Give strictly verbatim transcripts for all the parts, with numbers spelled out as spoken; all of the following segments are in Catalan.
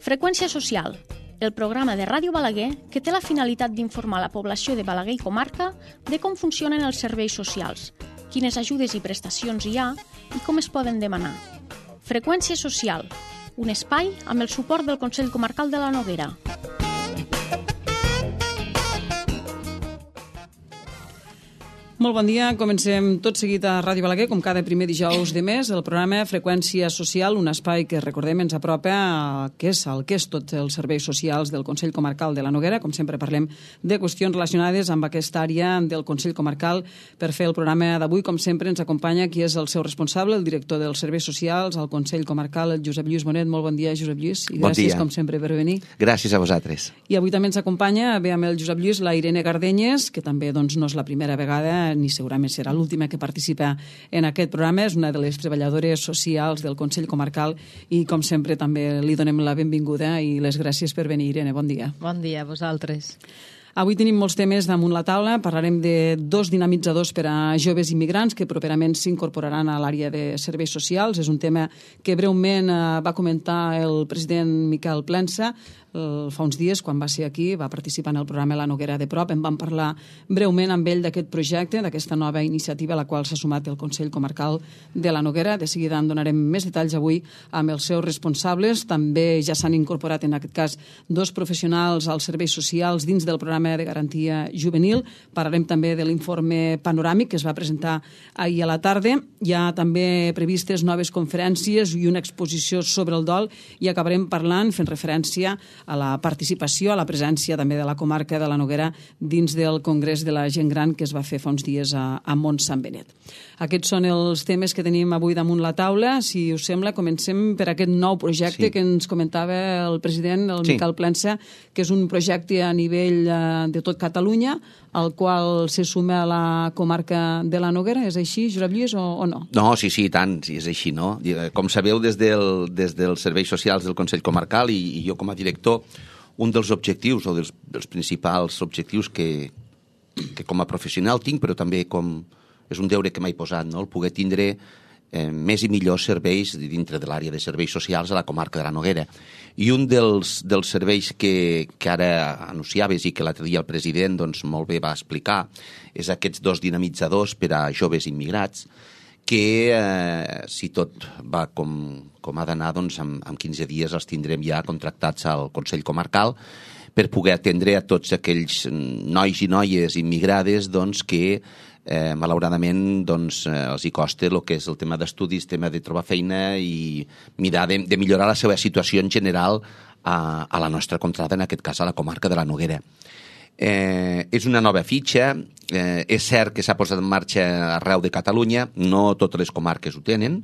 Freqüència social, el programa de Ràdio Balaguer que té la finalitat d'informar la població de Balaguer i comarca de com funcionen els serveis socials, quines ajudes i prestacions hi ha i com es poden demanar. Freqüència social, un espai amb el suport del Consell Comarcal de la Noguera. Molt bon dia, comencem tot seguit a Ràdio Balaguer, com cada primer dijous de mes, el programa Freqüència Social, un espai que, recordem, ens apropa a què és el que és tots els serveis socials del Consell Comarcal de la Noguera. Com sempre parlem de qüestions relacionades amb aquesta àrea del Consell Comarcal. Per fer el programa d'avui, com sempre, ens acompanya qui és el seu responsable, el director dels serveis socials al Consell Comarcal, el Josep Lluís Bonet. Molt bon dia, Josep Lluís, i bon gràcies, dia. com sempre, per venir. Gràcies a vosaltres. I avui també ens acompanya, bé, amb el Josep Lluís, la Irene Gardenyes, que també doncs, no és la primera vegada ni segurament serà l'última que participa en aquest programa. És una de les treballadores socials del Consell Comarcal i, com sempre, també li donem la benvinguda i les gràcies per venir, Irene. Bon dia. Bon dia a vosaltres. Avui tenim molts temes damunt la taula. Parlarem de dos dinamitzadors per a joves immigrants que properament s'incorporaran a l'àrea de serveis socials. És un tema que breument va comentar el president Miquel Plensa fa uns dies, quan va ser aquí, va participar en el programa La Noguera de prop. En vam parlar breument amb ell d'aquest projecte, d'aquesta nova iniciativa a la qual s'ha sumat el Consell Comarcal de la Noguera. De seguida en donarem més detalls avui amb els seus responsables. També ja s'han incorporat, en aquest cas, dos professionals als serveis socials dins del programa de garantia juvenil. Parlarem també de l'informe panoràmic que es va presentar ahir a la tarda. Hi ha també previstes noves conferències i una exposició sobre el dol i acabarem parlant, fent referència a la participació, a la presència també de la comarca de la Noguera dins del Congrés de la Gent Gran que es va fer fa uns dies a, a Mont Sant Benet. Aquests són els temes que tenim avui damunt la taula. Si us sembla, comencem per aquest nou projecte sí. que ens comentava el president, el sí. Miquel Plensa, que és un projecte a nivell de tot Catalunya, al qual se suma a la comarca de la Noguera. És així, Josep Lluís, o, o no? No, sí, sí, tant, sí, és així, no? Com sabeu, des, del, des dels serveis socials del Consell Comarcal i, i jo com a director, un dels objectius o dels, dels principals objectius que, que com a professional tinc, però també com és un deure que m'he posat, no? El poder tindre eh, més i millors serveis dintre de l'àrea de serveis socials a la comarca de la Noguera. I un dels, dels serveis que, que ara anunciaves i que l'altre dia el president doncs, molt bé va explicar és aquests dos dinamitzadors per a joves immigrats que, eh, si tot va com, com ha d'anar, doncs, en, en quinze dies els tindrem ja contractats al Consell Comarcal per poder atendre a tots aquells nois i noies immigrades doncs, que eh, malauradament doncs, eh, els hi costa el que és el tema d'estudis, tema de trobar feina i mirar de, de millorar la seva situació en general a, a la nostra contrada, en aquest cas a la comarca de la Noguera. Eh, és una nova fitxa, eh, és cert que s'ha posat en marxa arreu de Catalunya, no totes les comarques ho tenen,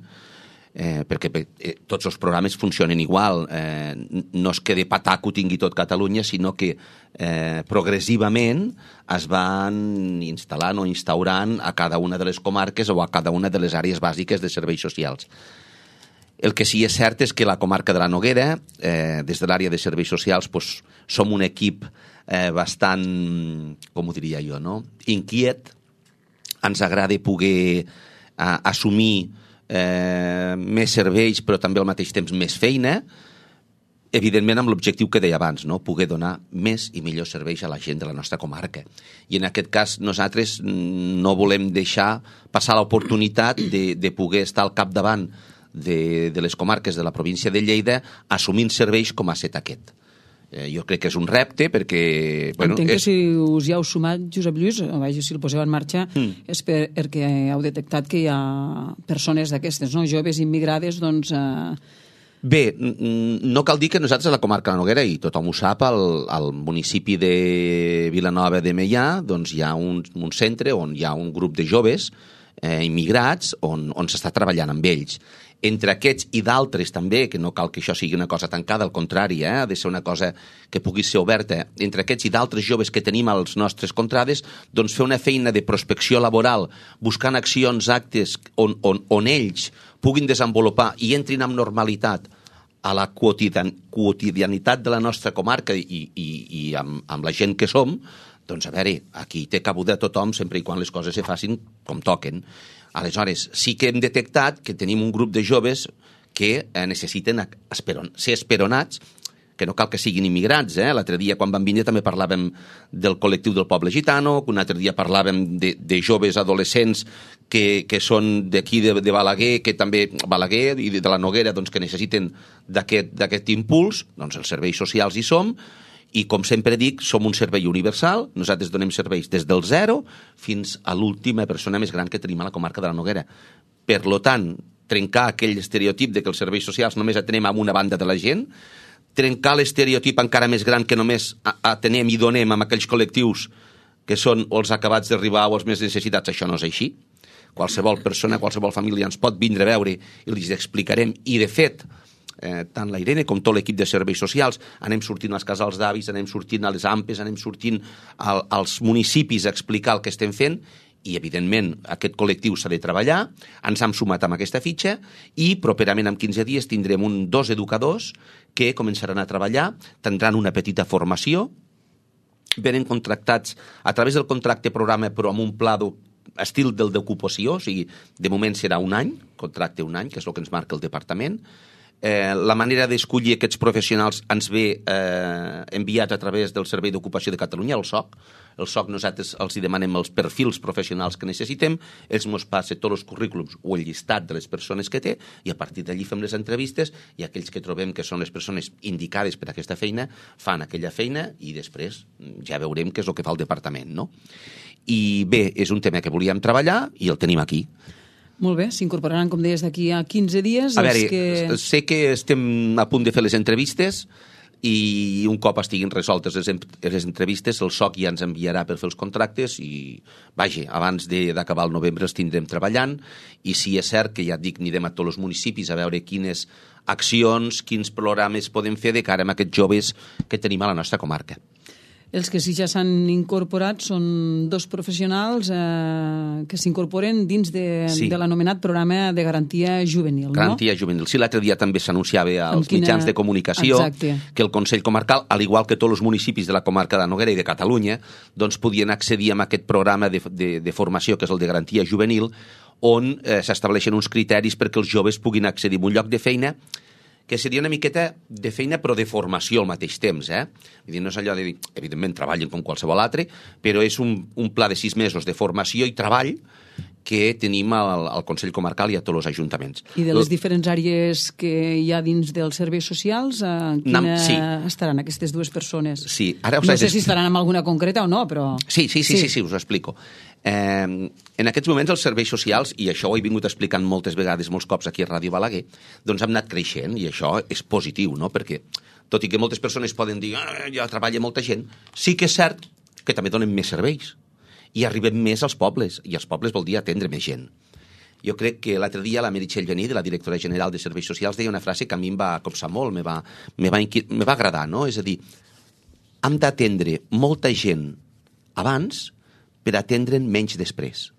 eh, perquè eh, tots els programes funcionen igual, eh, no és que de patac ho tingui tot Catalunya, sinó que eh, progressivament es van instal·lant o instaurant a cada una de les comarques o a cada una de les àrees bàsiques de serveis socials. El que sí que és cert és que la comarca de la Noguera, eh, des de l'àrea de serveis socials, doncs, som un equip eh, bastant, com ho diria jo, no? inquiet. Ens agrada poder eh, assumir eh, més serveis, però també al mateix temps més feina, evidentment amb l'objectiu que deia abans, no? Poder donar més i millors serveis a la gent de la nostra comarca. I en aquest cas nosaltres no volem deixar passar l'oportunitat de, de poder estar al capdavant de, de les comarques de la província de Lleida assumint serveis com ha estat aquest. Eh, jo crec que és un repte perquè... Bueno, Entenc és... que si us hi heu sumat, Josep Lluís, o vaja, si el poseu en marxa, mm. és per, perquè heu detectat que hi ha persones d'aquestes, no? Joves immigrades, doncs... Eh... Bé, no cal dir que nosaltres a la comarca de la Noguera, i tothom ho sap, al, al municipi de Vilanova de Meià, doncs hi ha un, un centre on hi ha un grup de joves eh, immigrats on, on s'està treballant amb ells. Entre aquests i d'altres també, que no cal que això sigui una cosa tancada, al contrari, eh? ha de ser una cosa que pugui ser oberta, entre aquests i d'altres joves que tenim als nostres contrades, doncs fer una feina de prospecció laboral, buscant accions, actes on, on, on ells puguin desenvolupar i entrin amb normalitat a la quotidian, quotidianitat de la nostra comarca i, i, i amb, amb la gent que som, doncs a veure, aquí té cabuda tothom sempre i quan les coses se facin com toquen. Aleshores, sí que hem detectat que tenim un grup de joves que eh, necessiten esperon, ser esperonats, que que no cal que siguin immigrants, eh? L'altre dia, quan vam vindre, també parlàvem del col·lectiu del poble gitano, un altre dia parlàvem de, de joves adolescents que, que són d'aquí, de, de Balaguer, que també, Balaguer i de la Noguera, doncs, que necessiten d'aquest impuls. Doncs els serveis socials hi som, i com sempre dic, som un servei universal, nosaltres donem serveis des del zero fins a l'última persona més gran que tenim a la comarca de la Noguera. Per lo tant, trencar aquell estereotip de que els serveis socials només atenem a una banda de la gent, trencar l'estereotip encara més gran que només atenem i donem amb aquells col·lectius que són o els acabats d'arribar o els més necessitats. Això no és així. Qualsevol persona, qualsevol família ens pot vindre a veure i els explicarem. I, de fet, eh, tant la Irene com tot l'equip de serveis socials anem sortint als casals d'avis, anem sortint a les A M P Es, anem sortint al, als municipis a explicar el que estem fent. I, evidentment, aquest col·lectiu s'ha de treballar, ens hem sumat amb aquesta fitxa i properament en quinze dies tindrem un, dos educadors que començaran a treballar, tindran una petita formació, venen contractats a través del contracte programa però amb un pla estil del d'ocupació, o sigui, de moment serà un any, contracte un any, que és el que ens marca el departament. Eh, la manera d'escollir aquests professionals ens ve eh, enviat a través del Servei d'Ocupació de Catalunya, el S O C. El S O C nosaltres els demanem els perfils professionals que necessitem, ells ens passen tots els currículums o el llistat de les persones que té i a partir d'allí fem les entrevistes i aquells que trobem que són les persones indicades per a aquesta feina fan aquella feina i després ja veurem què és el que fa el departament, no? I bé, és un tema que volíem treballar i el tenim aquí. Molt bé, s'incorporaran, com deies, d'aquí a quinze dies. A veure, que... sé que estem a punt de fer les entrevistes i un cop estiguin resoltes les, les entrevistes, el S O C ja ens enviarà per fer els contractes i, vaja, abans d'acabar el novembre els tindrem treballant i si és cert que ja et dic, anirem a tots els municipis a veure quines accions, quins programes podem fer de cara a aquests joves que tenim a la nostra comarca. Els que sí ja s'han incorporat són dos professionals eh, que s'incorporen dins de, sí. de l'anomenat programa de garantia juvenil. Garantia no? juvenil. Sí, l'altre dia també s'anunciava als quina... mitjans de comunicació Exacte. Que el Consell Comarcal, al igual que tots els municipis de la comarca de Noguera i de Catalunya, doncs podien accedir a aquest programa de, de, de formació, que és el de garantia juvenil, on eh, s'estableixen uns criteris perquè els joves puguin accedir a un lloc de feina que seria una miqueta de feina però de formació al mateix temps, eh? Vull dir, no és allò de dir, evidentment treballen com qualsevol altre, però és un, un pla de sis mesos de formació i treball que tenim al, al Consell Comarcal i a tots els ajuntaments. I de les diferents àrees que hi ha dins dels serveis socials, eh, quina sí. estaran aquestes dues persones? Sí. Ara us no sé si estaran en alguna concreta o no, però... Sí, sí, sí, sí, sí, sí us ho explico. Eh, en aquests moments els serveis socials, i això ho he vingut explicant moltes vegades, molts cops aquí a Ràdio Balaguer, doncs hem anat creixent i això és positiu, no? Perquè tot i que moltes persones poden dir ah, ja treballa molta gent, sí que és cert que també donen més serveis i arribem més als pobles, i als pobles vol dir atendre més gent. Jo crec que l'altre dia la Meritxell Gení, de la directora general de Serveis Socials, deia una frase que a mi em va copsar molt, me va, me va, me va agradar, no? És a dir, hem d'atendre molta gent abans per atendre'n menys després.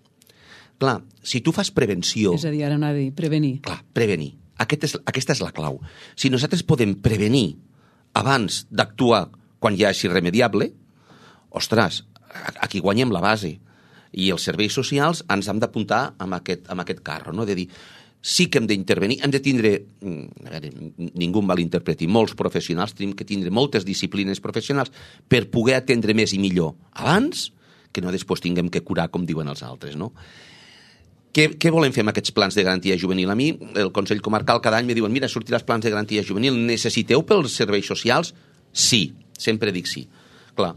Clar, si tu fas prevenció... És a dir, ara no ha de dir, prevenir. Clar, prevenir. Aquest és, aquesta és la clau. Si nosaltres podem prevenir abans d'actuar quan ja és irremediable, ostres, aquí guanyem la base. I els serveis socials ens hem d'apuntar amb aquest, amb aquest carro, no? De dir, sí que hem d'intervenir, hem de tindre, a veure, ningú em malinterpreti, molts professionals, tenim que tindre moltes disciplines professionals per poder atendre més i millor abans que no després tinguem que curar, com diuen els altres, no? Què, què volem fer amb aquests plans de garantia juvenil? A mi, el Consell Comarcal, cada any me diuen mira, sortirà els plans de garantia juvenil, necessiteu pels serveis socials? Sí, sempre dic sí. Clar,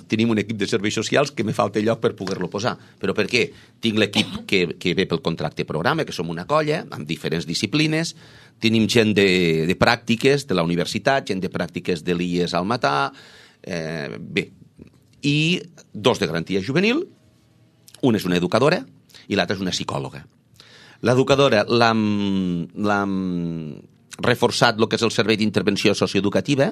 tenim un equip de serveis socials que me falta lloc per poder-lo posar. Però per què? Tinc l'equip que, que ve pel contracte programa, que som una colla, amb diferents disciplines, tenim gent de, de pràctiques de la universitat, gent de pràctiques de l'I E S al Matà, eh, bé, i dos de garantia juvenil, una és una educadora i l'altra és una psicòloga. L'educadora l'hem reforçat el que és el servei d'intervenció socioeducativa,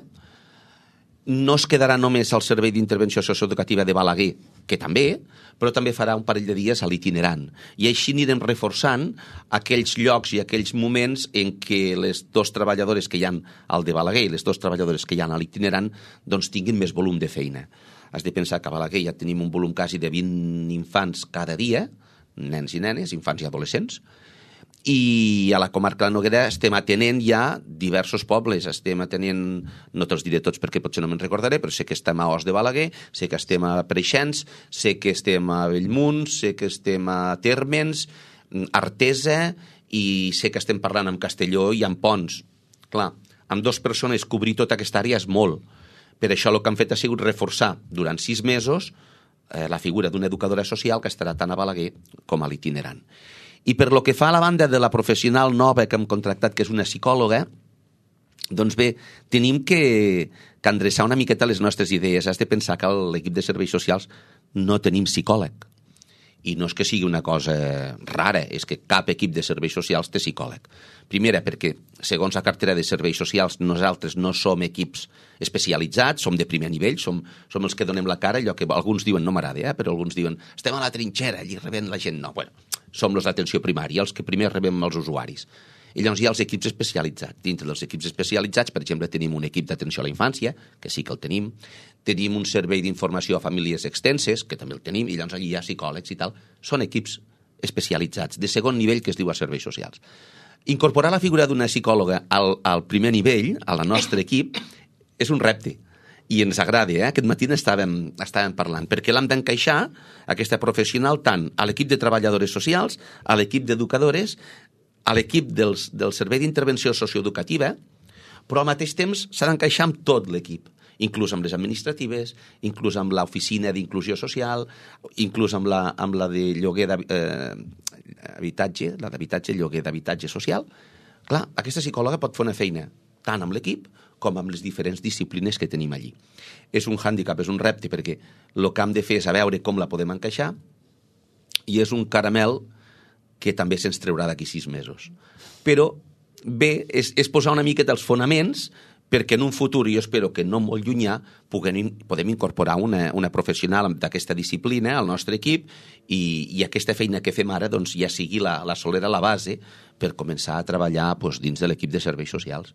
no es quedarà només al servei d'intervenció socioeducativa de Balaguer, que també, però també farà un parell de dies a l'itinerant. I així anirem reforçant aquells llocs i aquells moments en què les dues treballadores que hi ha al de Balaguer i les dues treballadores que hi ha a l'itinerant doncs tinguin més volum de feina. Has de pensar que a Balaguer ja tenim un volum quasi de vint infants cada dia, nens i nenes, infants i adolescents, i a la comarca de la Noguera estem atenent ja diversos pobles, estem atenent, no te'ls diré tots perquè potser no me'n recordaré, però sé que estem a Os de Balaguer, sé que estem a Preixens, sé que estem a Bellmunt, sé que estem a Térmens, Artesa, i sé que estem parlant amb Castelló i amb Pons. Clar, amb dues persones cobrir tota aquesta àrea és molt. Per això el que han fet ha sigut reforçar durant sis mesos eh, la figura d'una educadora social que estarà tant a Balaguer com a l'itinerant. I per lo que fa a la banda de la professional nova que hem contractat, que és una psicòloga, doncs bé, tenim que, que endreçar una miqueta les nostres idees. Has de pensar que a l'equip de serveis socials no tenim psicòleg. I no és que sigui una cosa rara, és que cap equip de serveis socials té psicòleg. Primera, perquè, segons la cartera de serveis socials, nosaltres no som equips especialitzats, som de primer nivell, som, som els que donem la cara, allò que alguns diuen, no m'agrada, eh? però alguns diuen, estem a la trinxera, allí rebent la gent. No, bueno, som los d'atenció primària, els que primer rebem els usuaris. I llavors hi ha els equips especialitzats. Dintre dels equips especialitzats, per exemple, tenim un equip d'atenció a la infància, que sí que el tenim, tenim un servei d'informació a famílies extenses, que també el tenim, i llavors allí hi ha psicòlegs i tal. Són equips especialitzats, de segon nivell, que es diu a serveis socials. Incorporar la figura d'una psicòloga al, al primer nivell, a la nostre equip, és un repte. I ens agrada, eh? Aquest matí estàvem, estàvem parlant, perquè l'hem d'encaixar, aquesta professional, tant a l'equip de treballadores socials, a l'equip d'educadores, a l'equip dels, del servei d'intervenció socioeducativa, però al mateix temps s'ha d'encaixar amb tot l'equip, inclús amb les administratives, inclús amb l'oficina d'inclusió social, inclús amb la, amb la de lloguer d'habitatge, eh, la d'habitatge, lloguer d'habitatge social. Clar, aquesta psicòloga pot fer una feina tant amb l'equip com amb les diferents disciplines que tenim allí. És un hàndicap, és un repte, perquè el que hem de fer és a veure com la podem encaixar, i és un caramel que també se'ns treurà d'aquí sis mesos. Però bé, és, és posar una miqueta els fonaments perquè en un futur, jo espero que no molt llunyà, puguem, podem incorporar una, una professional d'aquesta disciplina al nostre equip i, i aquesta feina que fem ara doncs, ja sigui la, la solera, la base, per començar a treballar doncs, dins de l'equip de serveis socials.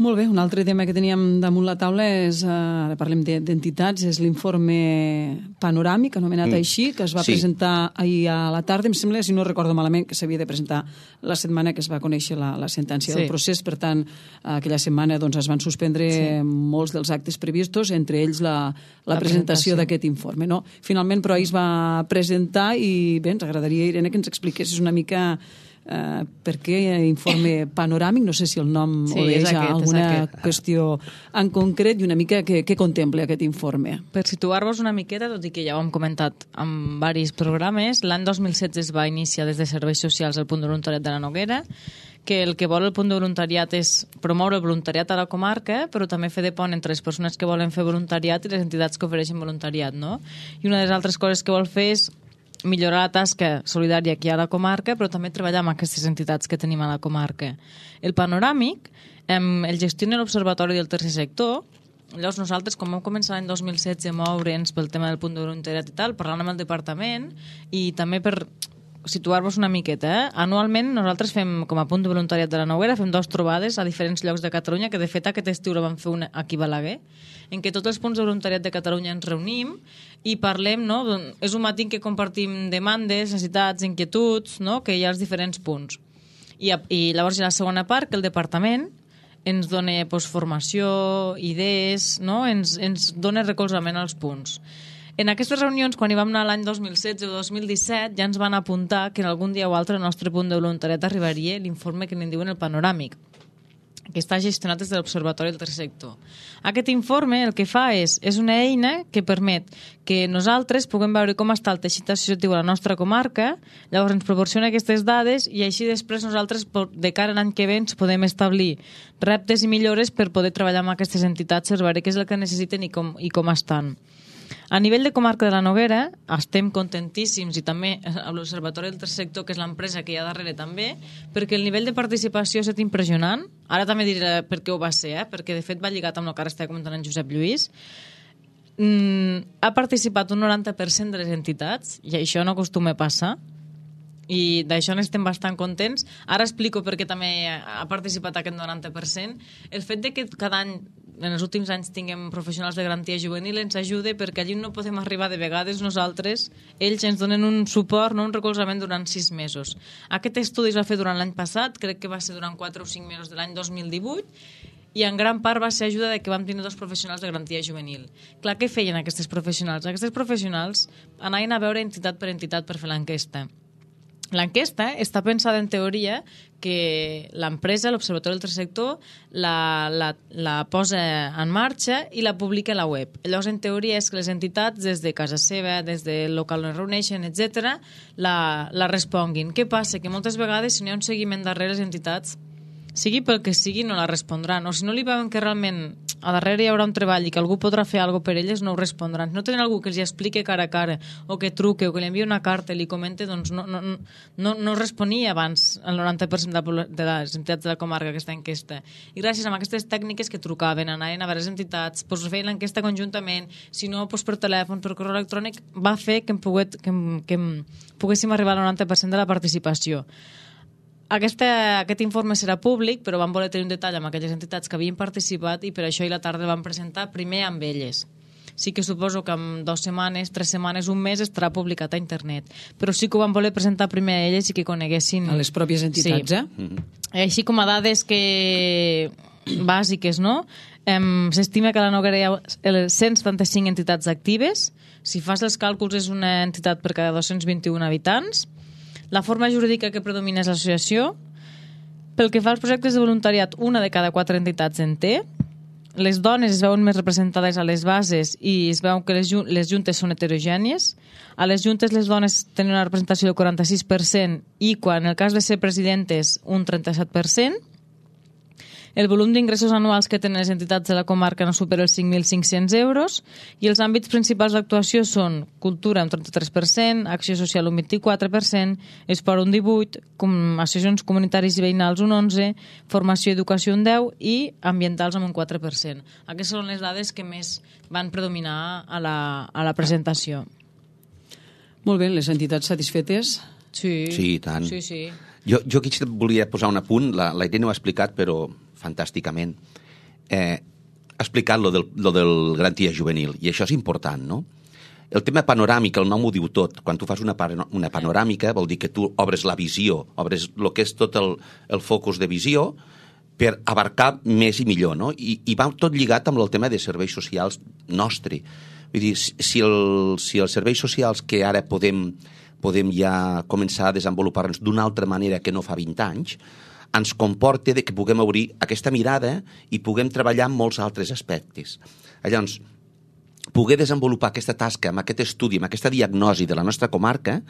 Molt bé, un altre tema que teníem damunt la taula és, eh, ara parlem d'entitats, és l'informe panoràmic, anomenat mm. així, que es va sí. presentar ahir a la tarda. Em sembla, si no recordo malament, que s'havia de presentar la setmana que es va conèixer la, la sentència sí. del procés. Per tant, aquella setmana doncs, es van suspendre sí. molts dels actes previstos, entre ells la, la, la presentació, presentació. d'aquest informe. No? Finalment, però, ahir es va presentar i bé, ens agradaria, Irene, que ens expliquessis una mica Uh, per què informe panoràmic, no sé si el nom sí, obeeix a alguna qüestió en concret i una mica què, què contempla aquest informe. Per situar-vos una miqueta, tot i que ja ho hem comentat en diversos programes, l'any dos mil setze es va iniciar des de Serveis Socials el punt de voluntariat de la Noguera, que el que vol el punt de voluntariat és promoure el voluntariat a la comarca, però també fer de pont entre les persones que volen fer voluntariat i les entitats que ofereixen voluntariat, no? I una de les altres coses que vol fer és millorar la tasca solidària que hi ha a la comarca, però també treballar amb aquestes entitats que tenim a la comarca. El panoràmic em, el gestiona l'Observatori del Tercer Sector. Llavors nosaltres, com vam començar l'any dos mil setze a moure'ns pel tema del punt de voluntariat i tal, parlant amb el departament i també per situar-vos una miqueta, eh? Anualment nosaltres fem, com a punt de voluntariat de la Noguera, fem dues trobades a diferents llocs de Catalunya, que de fet aquest estiu la vam fer una aquí a Balaguer, en què tots els punts de voluntariat de Catalunya ens reunim i parlem, no? És un matí en què compartim demandes, necessitats, inquietuds, no? Que hi ha als diferents punts. I, i llavors hi ha la segona part, que el departament ens dona pues, formació, idees, no? ens, ens dona recolzament als punts. En aquestes reunions, quan hi vam anar l'any dos mil setze o dos mil disset, ja ens van apuntar que en algun dia o altre al nostre punt de voluntariat arribaria l'informe que n'en diuen el panoràmic, que està gestionat des de l'Observatori del Tercer Sector. Aquest informe el que fa és, és una eina que permet que nosaltres puguem veure com està el teixit associatiu a la nostra comarca, llavors ens proporciona aquestes dades i així després nosaltres, de cara a l'any que ve, ens podem establir reptes i millores per poder treballar amb aquestes entitats, per veure què és el que necessiten i com, i com estan. A nivell de comarca de la Noguera estem contentíssims i també amb l'Observatori del Tercer Sector, que és l'empresa que hi ha darrere també, perquè el nivell de participació ha estat impressionant. Ara també diré per què ho va ser, eh? Perquè de fet va lligat amb el que ara està comentant en Josep Lluís. Mm, ha participat un noranta per cent de les entitats i això no acostuma a passar i d'això n'estem bastant contents. Ara explico per què també ha participat aquest noranta per cent. El fet de que cada any en els últims anys tinguem professionals de garantia juvenil ens ajude, perquè allí no podem arribar de vegades nosaltres, ells ens donen un suport, no un recolzament durant sis mesos. Aquest estudi es va fer durant l'any passat, crec que va ser durant quatre o cinc mesos de l'any dos mil divuit, i en gran part va ser ajuda de que vam tenir dos professionals de garantia juvenil. Clar, què feien aquests professionals? Aquests professionals anaven a veure entitat per entitat per fer l'enquesta. L'enquesta està pensada en teoria que l'empresa, l'Observatori del Tercer Sector, la, la, la posa en marxa i la publica a la web. Llavors, en teoria, és que les entitats, des de casa seva, des de local on es reuneixen, etcètera, la, la responguin. Què passa? Que moltes vegades, si no hi ha un seguiment darrere les entitats, sigui pel que sigui, no la respondran. O si no li veuen que realment a darrere hi haurà un treball i que algú podrà fer alguna cosa per elles, no ho respondran. Si no tenen algú que els expliqui cara a cara, o que truque, o que li envia una carta i li comente, doncs no, no, no, no responia abans el noranta per cent de, de les entitats de la comarca aquesta enquesta. I gràcies a aquestes tècniques que trucaven, anaven a veure les entitats, doncs feien l'enquesta conjuntament, si no, doncs per telèfon, per correu electrònic, va fer que em, poguet, que em, que em poguéssim arribar al noranta per cent de la participació. Aquesta, aquest informe serà públic, però vam voler tenir un detall amb aquelles entitats que havien participat i per això i la tarda el vam presentar primer amb elles. Sí que suposo que en dues setmanes, tres setmanes, un mes estarà publicat a internet. Però sí que ho vam voler presentar primer a elles i que coneguessin... A les pròpies entitats, sí. eh? Mm-hmm. Així com a dades que... bàsiques, no? Um, S'estima que a la Noguera hi ha cent setanta-cinc entitats actives. Si fas els càlculs és una entitat per cada dos-cents vint-i-un habitants. La forma jurídica que predomina és l'associació. Pel que fa als projectes de voluntariat, una de cada quatre entitats en té. Les dones es veuen més representades a les bases i es veu que les, les juntes són heterogènies. A les juntes les dones tenen una representació del quaranta-sis per cent i quan en el cas de ser presidentes un trenta-set per cent. El volum d'ingressos anuals que tenen les entitats de la comarca no supera els cinc mil cinc-cents euros i els àmbits principals d'actuació són cultura un trenta-tres per cent, acció social un vint-i-quatre per cent, esport un divuit per cent, com associacions comunitaris i veïnals un onze per cent, formació i educació un deu per cent i ambientals amb un quatre per cent. Aquestes són les dades que més van predominar a la, a la presentació. Molt bé, les entitats satisfetes? Sí, sí, tant. Sí, sí. Jo, jo aquí volia posar un apunt, la, la Irene ho ha explicat, però fantàsticament. Eh, ha explicat lo del, lo del garantia juvenil, i això és important, no? El tema panoràmic, el nom ho diu tot. Quan tu fas una, una panoràmica vol dir que tu obres la visió, obres el que és tot el, el focus de visió per abarcar més i millor, no? I, i va tot lligat amb el tema de serveis socials nostre. Vull dir, si, el, si els serveis socials que ara podem, podem ja començar a desenvolupar-nos d'una altra manera que no fa vint anys, ens comporta de que puguem obrir aquesta mirada i puguem treballar en molts altres aspectes. Llavors, poder desenvolupar aquesta tasca, amb aquest estudi, amb aquesta diagnosi de la nostra comarca,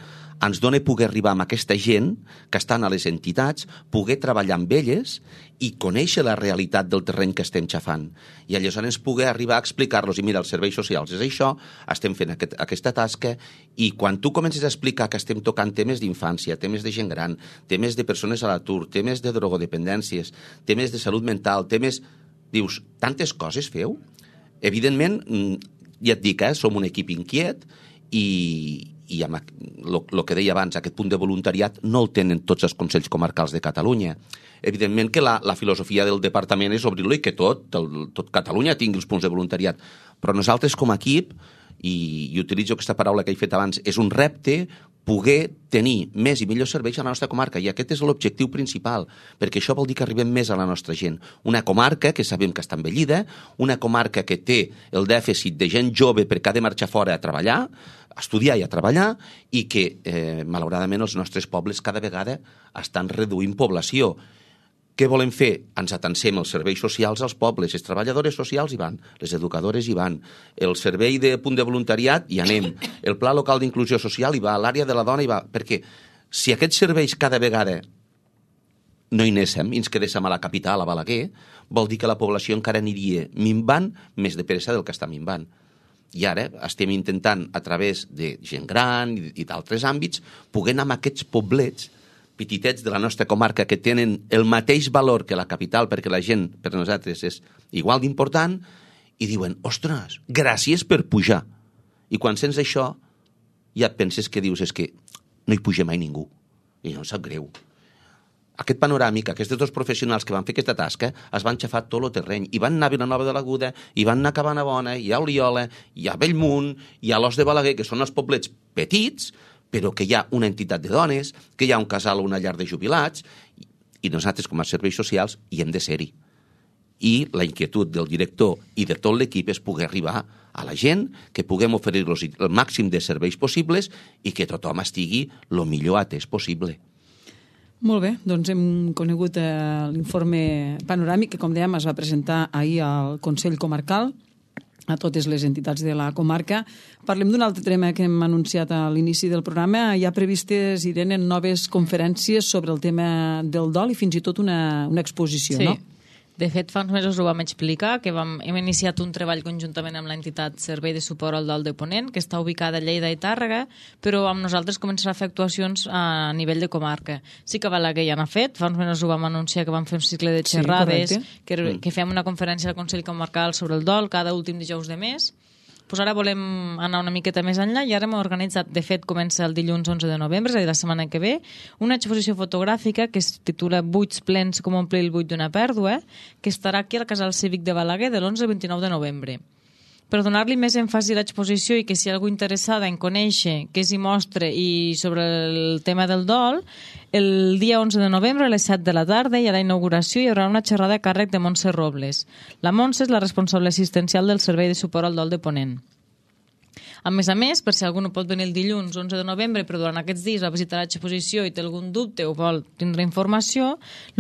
ens dona poder arribar amb aquesta gent que estan a les entitats, poder treballar amb elles i conèixer la realitat del terreny que estem xafant. I aleshores poder arribar a explicar-los, i mira, els serveis socials és això, estem fent aquest, aquesta tasca, i quan tu comences a explicar que estem tocant temes d'infància, temes de gent gran, temes de persones a l'atur, temes de drogodependències, temes de salut mental, temes... Dius, tantes coses feu? Evidentment, ja et dic, eh, som un equip inquiet i, i amb el que deia abans, aquest punt de voluntariat no el tenen tots els Consells Comarcals de Catalunya. Evidentment que la, la filosofia del departament és obrir-lo i que tot, el, tot Catalunya tingui els punts de voluntariat. Però nosaltres com a equip, i, i utilitzo aquesta paraula que he fet abans, és un repte poder tenir més i millors serveis a la nostra comarca, i aquest és l'objectiu principal, perquè això vol dir que arribem més a la nostra gent. Una comarca que sabem que està envellida, una comarca que té el dèficit de gent jove perquè ha de marxar fora a treballar, a estudiar i a treballar, i que, eh, malauradament, els nostres pobles cada vegada estan reduint població. Què volem fer? Ens atansem els serveis socials als pobles, les treballadores socials hi van, les educadores hi van, el servei de punt de voluntariat hi anem, el pla local d'inclusió social hi va, l'àrea de la dona hi va, perquè si aquests serveis cada vegada no hi anéssim i ens quedéssim a la capital, a Balaguer, vol dir que la població encara aniria minvant més de pressa del que està minvant. I ara estem intentant, a través de gent gran i, i d'altres àmbits, poder anar amb aquests poblets petitets de la nostra comarca que tenen el mateix valor que la capital, perquè la gent per nosaltres és igual d'important, i diuen, ostres, gràcies per pujar. I quan sents això, ja penses que dius, és que no hi puja mai ningú. I no em sap greu. aquest panoràmic, aquests dos professionals que van fer aquesta tasca, es van xafar tot el terreny, i van anar a Vilanova de l'Aguda, i van anar a Cabanabona, i a Oliola, i a Bellmunt, i a l'Os de Balaguer, que són els poblets petits, però que hi ha una entitat de dones, que hi ha un casal o una llar de jubilats, i nosaltres, com a serveis socials, hi hem de ser-hi. I la inquietud del director i de tot l'equip és poder arribar a la gent, que puguem oferir-los el màxim de serveis possibles i que tothom estigui el millor atès possible. Molt bé, doncs hem conegut eh, l'informe panoràmic que, com dèiem, es va presentar ahir al Consell Comarcal a totes les entitats de la comarca. Parlem d'un altre tema que hem anunciat a l'inici del programa. Hi ha previstes, Irene, noves conferències sobre el tema del dol i fins i tot una, una exposició, sí. no? De fet, fa uns mesos ho vam explicar, que vam, hem iniciat un treball conjuntament amb l'entitat Servei de Suport al Dol de Ponent, que està ubicada a Lleida i Tàrrega, però amb nosaltres començarà a fer actuacions a nivell de comarca. Sí que Balaguer ja n'ha fet, fa uns mesos ho vam anunciar que vam fer un cicle de xerrades, sí, que, que fem una conferència al Consell Comarcal sobre el dol cada últim dijous de mes. Pues ara volem anar una miqueta més enllà i ara hem organitzat, de fet comença el dilluns onze de novembre, és a dir, la setmana que ve, una exposició fotogràfica que es titula Buits plens com omplir el buit d'una pèrdua, que estarà aquí al Casal Cívic de Balaguer de l'onze al vint-i-nou de novembre. Per donar-li més èmfasi a l'exposició i que si hi ha algú interessada en conèixer què s'hi mostra i sobre el tema del dol, el dia onze de novembre a les set de la tarda i a la inauguració hi haurà una xerrada a càrrec de Montse Robles. La Montse és la responsable assistencial del Servei de Suport al Dol de Ponent. A més a més, per si algú no pot venir el dilluns onze de novembre, però durant aquests dies va visitar l'exposició i té algun dubte o vol tindre informació,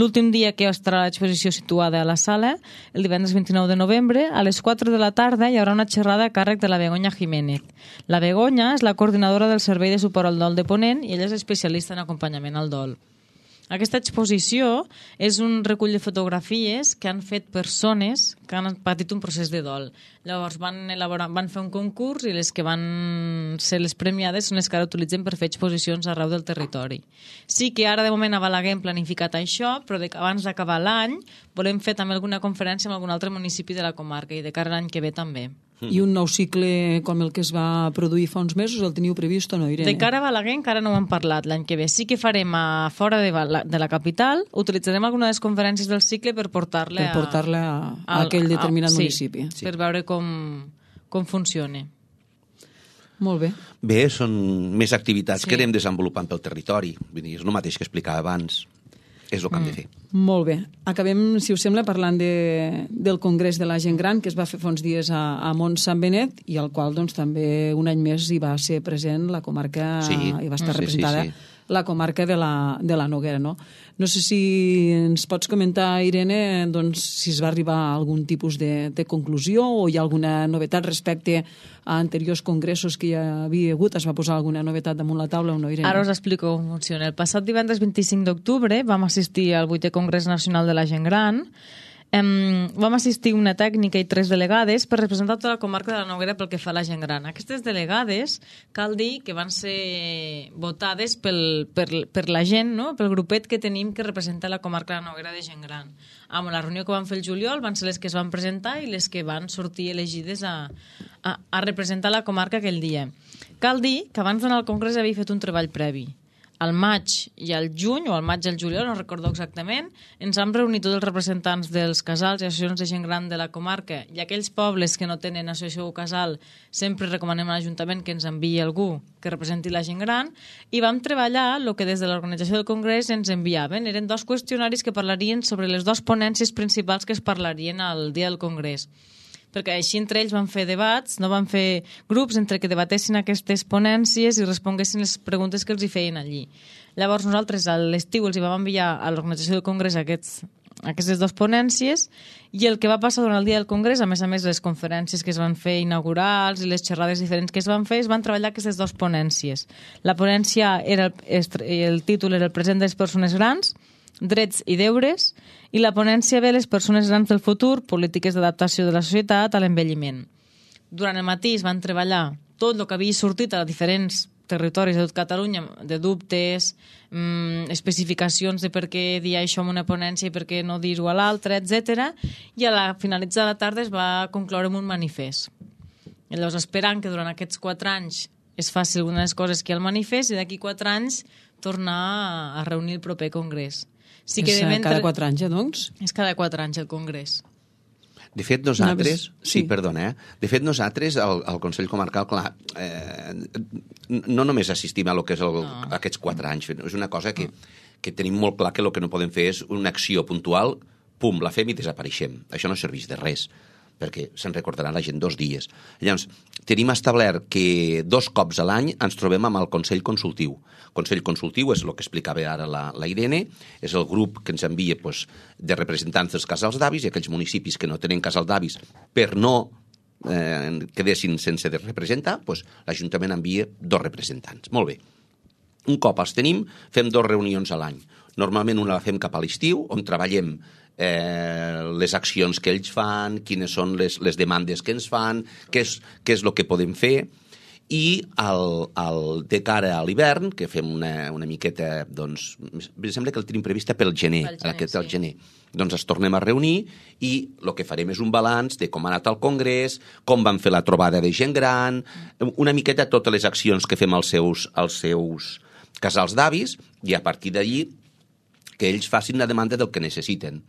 l'últim dia que estarà l'exposició situada a la sala, el divendres vint-i-nou de novembre, a les quatre de la tarda hi haurà una xerrada a càrrec de la Begoña Jiménez. La Begoña és la coordinadora del Servei de Suport al Dol de Ponent i ella és especialista en acompanyament al dol. Aquesta exposició és un recull de fotografies que han fet persones que han patit un procés de dol. Llavors van, elaborar, van fer un concurs i les que van ser les premiades són les que ara utilitzen per fer exposicions arreu del territori. Sí que ara de moment a Balaguer hem planificat això, però de, abans d'acabar l'any volem fer també alguna conferència amb algun altre municipi de la comarca i de cara a l'any que ve també. I un nou cicle com el que es va produir fa uns mesos, el teniu previst o no, Irene? De cara a Balaguer encara no ho hem parlat l'any que ve. Sí que farem a fora de, Bala, de la capital, utilitzarem alguna de les conferències del cicle per portar-la per portar-la a, a, a aquell determinat a, sí, municipi. Sí, per veure com, com funciona. Molt bé. Bé, són més activitats sí. que anem desenvolupant pel territori. Vull dir, és el mateix que explicava abans. És el que hem de fer. Molt bé. Acabem, si us sembla, parlant de, del Congrés de la Gent Gran, que es va fer fa uns dies a, a Mont Sant Benet, i al qual doncs, també un any més hi va ser present la comarca, sí. hi va estar sí, representada sí, sí. la comarca de la, de la Noguera, no? No sé si ens pots comentar, Irene, doncs, si es va arribar a algun tipus de, de conclusió o hi ha alguna novetat respecte a anteriors congressos que hi havia hagut. Es va posar alguna novetat damunt la taula o no, Irene? Ara us explico com funciona. El passat divendres vint-i-cinc d'octubre vam assistir al vuitè Congrés Nacional de la Gent Gran. Um, vam assistir una tècnica i tres delegades per representar tota la comarca de la Noguera pel que fa a la gent gran. Aquestes delegades cal dir que van ser votades pel, per, per la gent, no? Pel grupet que tenim que representa la comarca de la Noguera de gent gran. Amb la reunió que van fer el juliol van ser les que es van presentar i les que van sortir elegides a, a, a representar la comarca aquell dia. Cal dir que abans d'anar al congrés havia fet un treball previ. Al maig i al juny, o al maig i al juliol, no recordo exactament, ens vam reunir tots els representants dels casals i associacions de gent gran de la comarca i aquells pobles que no tenen associació o casal sempre recomanem a l'Ajuntament que ens enviï algú que representi la gent gran i vam treballar el que des de l'organització del congrés ens enviaven. Eren dos qüestionaris que parlarien sobre les dues ponències principals que es parlarien al dia del congrés. Perquè així entre ells van fer debats, no van fer grups entre que debatessin aquestes ponències i responguessin les preguntes que els hi feien allí. Llavors nosaltres a l'estiu els hi vam enviar a l'organització del congrés aquests, aquestes dues ponències i el que va passar durant el dia del congrés, a més a més les conferències que es van fer inaugurals i les xerrades diferents que es van fer, es van treballar aquestes dues ponències. La ponència, era el, el títol era el present de les persones grans, drets i deures, i la ponència ve les persones grans del futur, polítiques d'adaptació de la societat a l'envelliment. Durant el matí es van treballar tot el que havia sortit a diferents territoris de tot Catalunya, de dubtes, mmm, especificacions de per què dir això en una ponència i per què no dir-ho a l'altra, etcètera. I a la finalitzar la tarda es va concloure amb un manifest. I llavors esperant que durant aquests quatre anys es faci alguna de les coses que hi ha al manifest i d'aquí quatre anys tornar a reunir el proper congrés. Sí que és de mentre... cada quatre anys, eh, doncs? És cada quatre anys el congrés. De fet, nosaltres... No, sí, sí, perdona, eh? De fet, nosaltres, al, al Consell Comarcal, clar, eh, no només assistim a lo que és el, no. aquests quatre anys, és una cosa que, que tenim molt clar que el que no podem fer és una acció puntual, pum, la fem i desapareixem. Això no serveix de res, perquè se'n recordarà la gent dos dies. Llavors, tenim establert que dos cops a l'any ens trobem amb el Consell Consultiu. El Consell Consultiu és el que explicava ara la, la Irene, és el grup que ens envia pues, de representants dels casals d'avis i aquells municipis que no tenen casal d'avis per no eh, quedessin sense de representar, pues, l'Ajuntament envia dos representants. Molt bé. Un cop els tenim, fem dos reunions a l'any. Normalment una la fem cap a l'estiu, on treballem eh, les accions que ells fan, quines són les, les demandes que ens fan, què és, què és el que podem fer, i el, el, de cara a l'hivern, que fem una, una miqueta, doncs, em sembla que el tenim prevista pel gener, pel gener, aquest, sí. el gener. Doncs ens tornem a reunir i el que farem és un balanç de com ha anat el congrés, com van fer la trobada de gent gran, una miqueta totes les accions que fem als seus, als seus casals d'avis, i a partir d'allí que ells facin la demanda del que necessiten.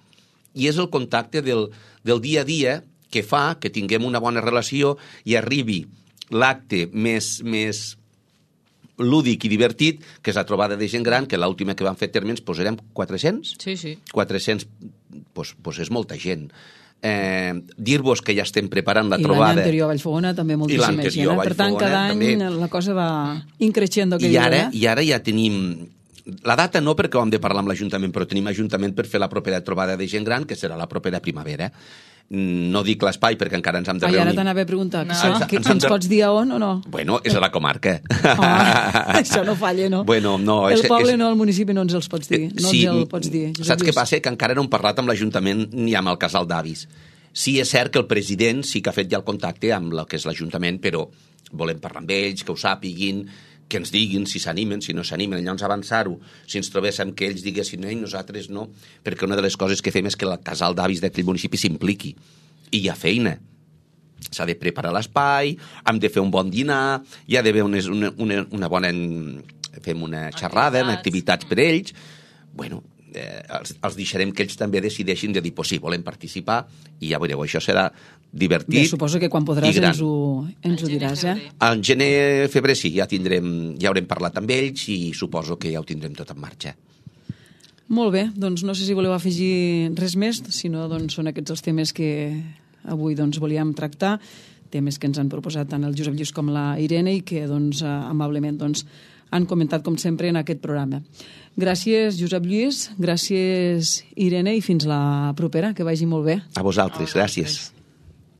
I és el contacte del, del dia a dia que fa que tinguem una bona relació i arribi l'acte més, més lúdic i divertit, que és la trobada de gent gran, que l'última que vam fer terme ens posarem quatre-cents? Sí, sí. quatre-cents, doncs, doncs és molta gent. Eh, dir-vos que ja estem preparant la I trobada... I l'any anterior a Vallfogona també moltíssima gent. Per tant, cada any també... la cosa va increixendo. I ara, I ara ja tenim... La data no, perquè ho hem de parlar amb l'Ajuntament, però tenim Ajuntament per fer la propera trobada de gent gran, que serà la propera primavera. No dic l'espai, perquè encara ens hem de reunir. Ah, i ara t'anava a preguntar, no. ens, que, ens, que ens de... pots dir a on o no? Bueno, és a la comarca. Oh, això no falla, no? Bueno, no el és, poble és... no, el municipi no ens els pots dir. No sí, ens el pots dir. Saps què passa? Que encara no hem parlat amb l'Ajuntament ni amb el casal d'avis. Sí, és cert que el president sí que ha fet ja el contacte amb el que és l'Ajuntament, però volem parlar amb ells, que ho sàpiguin, que ens diguin si s'animen, si no s'animen, llavors avançar-ho. Si ens trobéssim que ells diguessin ei, nosaltres no, perquè una de les coses que fem és que el casal d'avis d'aquell municipi s'impliqui. I hi ha feina. S'ha de preparar l'espai, hem de fer un bon dinar, hi ha d'haver una, una, una bona... fem una xerrada, activitats. activitats per ells. Bueno, eh, els, els deixarem que ells també decideixin de dir, pues sí, volem participar, i ja veureu, això serà divertit. Bé, suposo que quan podràs ens ho, ens ho diràs, eh? En gener, febrer, sí, ja tindrem, ja haurem parlat amb ells i suposo que ja ho tindrem tot en marxa. Molt bé, doncs no sé si voleu afegir res més, sinó doncs són aquests els temes que avui doncs volíem tractar, temes que ens han proposat tant el Josep Lluís com la Irene i que doncs amablement doncs han comentat com sempre en aquest programa. Gràcies, Josep Lluís, gràcies, Irene, i fins la propera, que vagi molt bé. A vosaltres, gràcies.